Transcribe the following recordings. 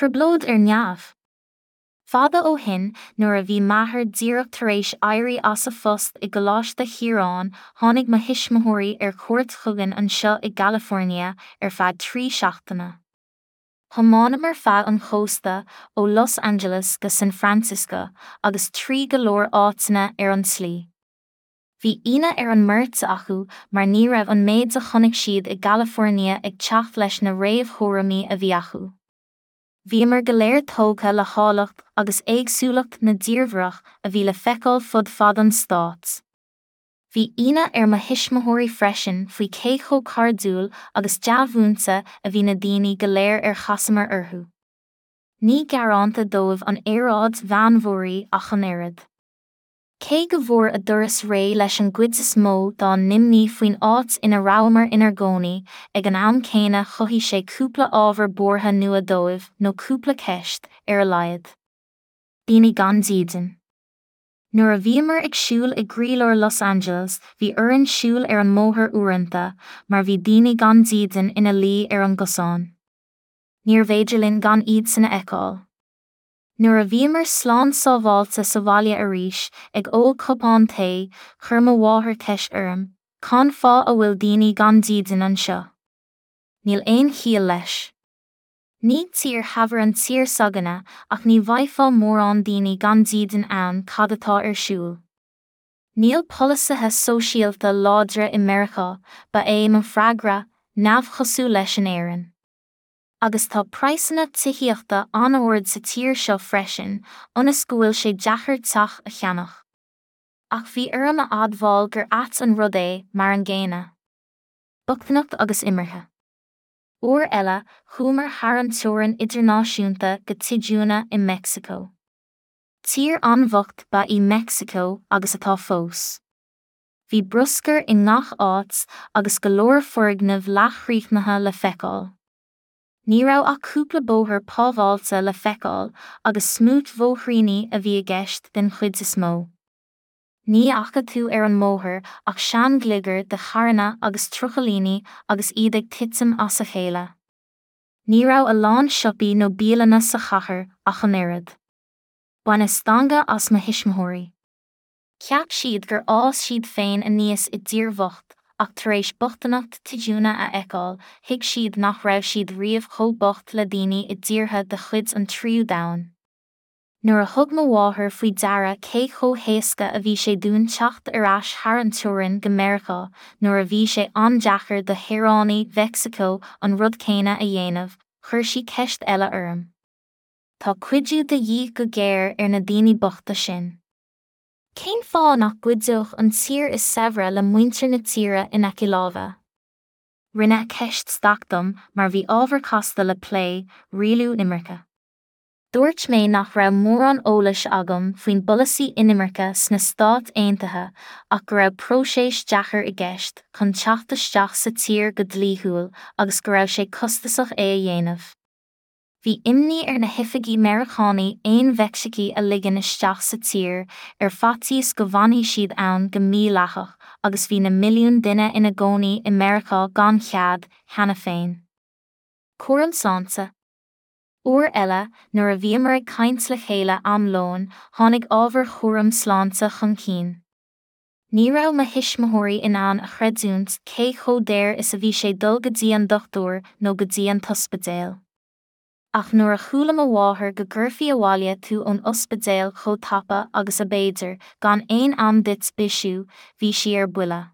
Trioblóid ar neamh? Fada ó shin, nuair a bhí m'athair díreach tar éis éirí as a phost i gColáiste Chiaráin, tháinig mo thuismitheoirí ar cuairt chugainn anseo i gCalifornia ar feadh 3 seachtaine. Thiomáineamar feadh an chósta, ó Los Angeles go San Francisco, agus trí go leor áiteanna ar an tslí. Bhí ionadh ar an mbeirt acu mar ní raibh an méid a chonaic siad i gCalifornia ag teacht leis na réamhthuairimí a bhí acu. Bhíomar go léir tógtha le háilleacht agus éagsúlacht na dtírdhreach a bhí le feiceáil fud fad an stáit. Bhí ionadh ar mo thuismitheoirí freisin faoi cé chomh cairdiúil agus dea-mhúinte a bhí na daoine go léir ar chasamar orthu. Ní gearánta dóibh an aeráid mheánmhuirí ach an oiread. Cé go bhfuair a dturas réidh leis an gcuid is mó dá n-imní faoin áit ina rabhamar inár gcónaí, ag an am céanna chothaigh sé cúpla ábhar buartha nua dóibh, nó cúpla ceist, ar a laghad. Daoine gan dídean. Nuair a bhíomar ag siúl i gcroílár Los Angeles bhí orainn siúl ar an mbóthar uaireanta mar bhí daoine gan dídean ina luí ar an gcosán. Níorbh fhéidir linn gan iadsan a fheiceáil. Nuair a bhíomar slán sábháilte sa bhaile arís, ag ól cupán tae, chuir mo mháthair ceist orm, Cán fáth a bhfuil daoine gan dídean anseo? Níl aon chiall leis. Ní tír shaibhir an tír s'againne ach ní bhfaighfeá mórán daoine gan dídean ann cad atá ar siúl? Níl polasaithe sóisialta láidre i Meiriceá, ba é mo freagra, neamhchosúil leis in Éirinn. Agus tá praghsanna tithíochta an-ard sa tír seo freisin, ionas go bhfuil sé deacair teach a cheannach. Ach bhí orm a admháil gur ait an rud é, mar an gcéanna. Bochtaineacht agus imirce. Uair eile, chuamar thar an teorainn idirnáisiúnta go Tijuana i Meicsiceo. Tír an-bhocht ba í Meicsiceo agus atá fós. Bhí bruscar i ngach áit agus go leor foirgneamh leathchríochnaithe le feiceáil. Ní raibh ach cúpla bóthar pábháilte le feiceáil agus smúit-bhóithríní a bhí i gceist den chuid is mó. Ní fhaca tú ar an mbóthar ach seanghliogar de charranna agus trucailíní agus iad ag titim as a chéile. Ní raibh a lán siopaí nó bialanna sa chathair ach an oiread. Baineadh stangadh as mo thuismitheoirí. Cheap siad gur fhás siad féin aníos i dtír bhocht, ach tar éis bochtaineacht Tijuana a fheiceáil, thuig siad nach raibh siad riamh chomh bocht le daoine i dtíortha de chuid an tríú domhan. Nuair a thug mo mháthair faoi deara cé chomh héasca a bhí sé dúinn teacht ar ais thar an teorainn go Meiriceá nuair a bhí sé an-deacair do shaoránaigh Mheicsiceo an rud céanna a dhéanamh, chuir sí ceist eile orm. Tá cuidiú de dhíth go géar ar na daoine bochta sin. Cén fáth nach gcuideodh an tír is saibhre le muintir na tíre in aice láimhe? Rinne a ceist staic dom mar bhí ábhar casta le plé, rialú imirce. Dúirt mé nach raibh mórán eolais agam faoin bpolasaí inimirce sna Stáit Aontaithe ach go raibh próiseas deacair i gceist chun teacht isteach sa tír go dlíthiúil agus go raibh sé costasach é a dhéanamh. Bhí imní ar na hoifigigh Meiriceánaigh aon Mheicsicigh a ligean isteach sa tír ar faitíos go bhfanfaidh siad ann go mídhleathach agus bhí na milliúin duine ina gcónaí i Meiriceá gan chead, cheana féin. Cúram sláinte. Uair eile, nuair a bhíomar ag caint le chéile am lóin, tháinig ábhar chúram sláinte chun cinn. Ní raibh mo thuismitheoirí in ann a chreidiúint cé chomh daor is a bhí sé dul go dtí an dochtúir nó go dtí an t-ospidéal. Ach nuair a chuala mo mháthair go gcuirfí abhaile tú ón ospidéal chomh tapa agus ab fhéidir, gan aon am duit bisiú, bhí sí ar buile.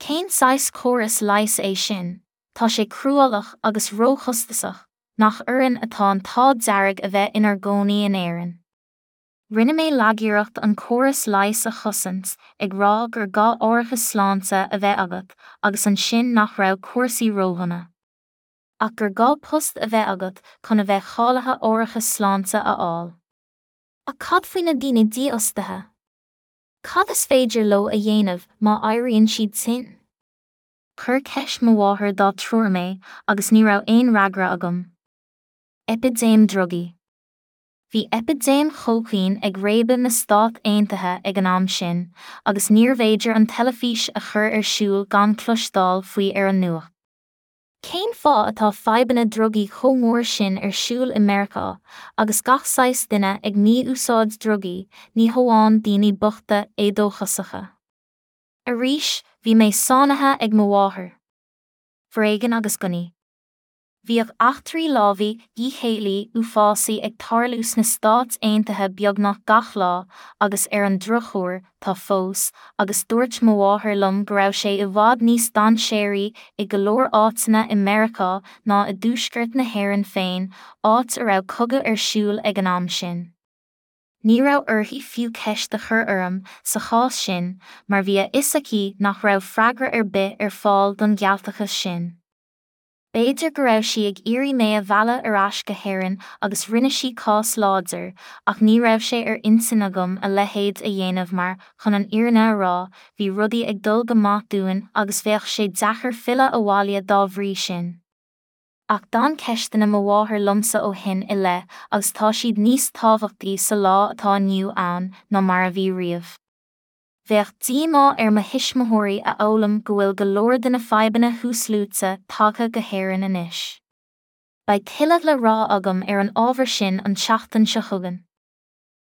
Cén saghas córas leighis é sin? Tá sé cruálach agus róchostasach, nach orainn atá an t-ádh dearg a bheith inár gcónaí in Éirinn? Rinne mé lagiarracht an córas leighis a chosaint, ag rá gur gá árachas sláinte a bheith agat agus ansin nach raibh cúrsaí ródhona. Ach gur gá post a bheith agat chun a bheith cáilithe árachas sláinte a fháil. Ach cad faoi na daoine dífhostaithe? Cad is féidir leo a dhéanamh má éiríonn siad tinn? Chuir ceist mo mháthar dá triúr mé agus ní raibh aon fhreagra agam. Eipidéim drugaí. Bhí eipidéim chócaoin ag réabadh na Stát Aontaithe ag an am sin, agus níorbh fhéidir an teilifís a chur ar siúl gan cloisteáil faoi ar an nuacht. Cén fáth atá fadhbanna drugaí chomh mór sin ar siúl i Meiriceá, agus gach saghas duine ag mí-úsáid drugaí, ní hamháin daoine bochta éadóchasacha? Arís, bhí mé sáinnithe ag mo mháthair. Foréigean agus gunnaí. Bhíodh eachtraí lámhaigh díchéillí uafásaí ag tarlú sna Stáit Aontaithe beagnach gach lá, agus ar an drochuair, tá fós, agus dúirt mo mháthair liom go raibh sé i bhfad níos dainséaraí i go leor áiteanna i Meiriceá ná i dtuaisceart na hÉireann féin, áit a raibh cogadh ar siúl ag an am sin. Ní raibh uirthi fiú ceist a chur orm sa chás sin, mar bhí a fhios aici nach raibh freagra ar bith ar fáil don ghealtachas sin. B'fhéidir go raibh sí ag iarraidh mé a mhealladh ar ais go hÉirinn agus rinne sí cás láidir, ach ní raibh sé ar intinn agam a leithéid a dhéanamh mar, chun an fhírinne a rá, bhí rudaí ag dul go maith dúinn agus bheadh sé deacair filleadh abhaile dá bhrí sin. Ach d'fhan ceisteanna mo mháthar liomsa ó shin i leith agus tá siad níos tábhachtaí sa lá atá inniu ann ná mar a bhí riamh. Bheadh díomá ar mo thuismitheoirí a fhoghlaim go bhfuil go leor de na fadhbanna thuasluaite tagtha go hÉirinn anois. Beidh tuilleadh le rá agam ar an ábhar sin an tseachtain seo chugainn.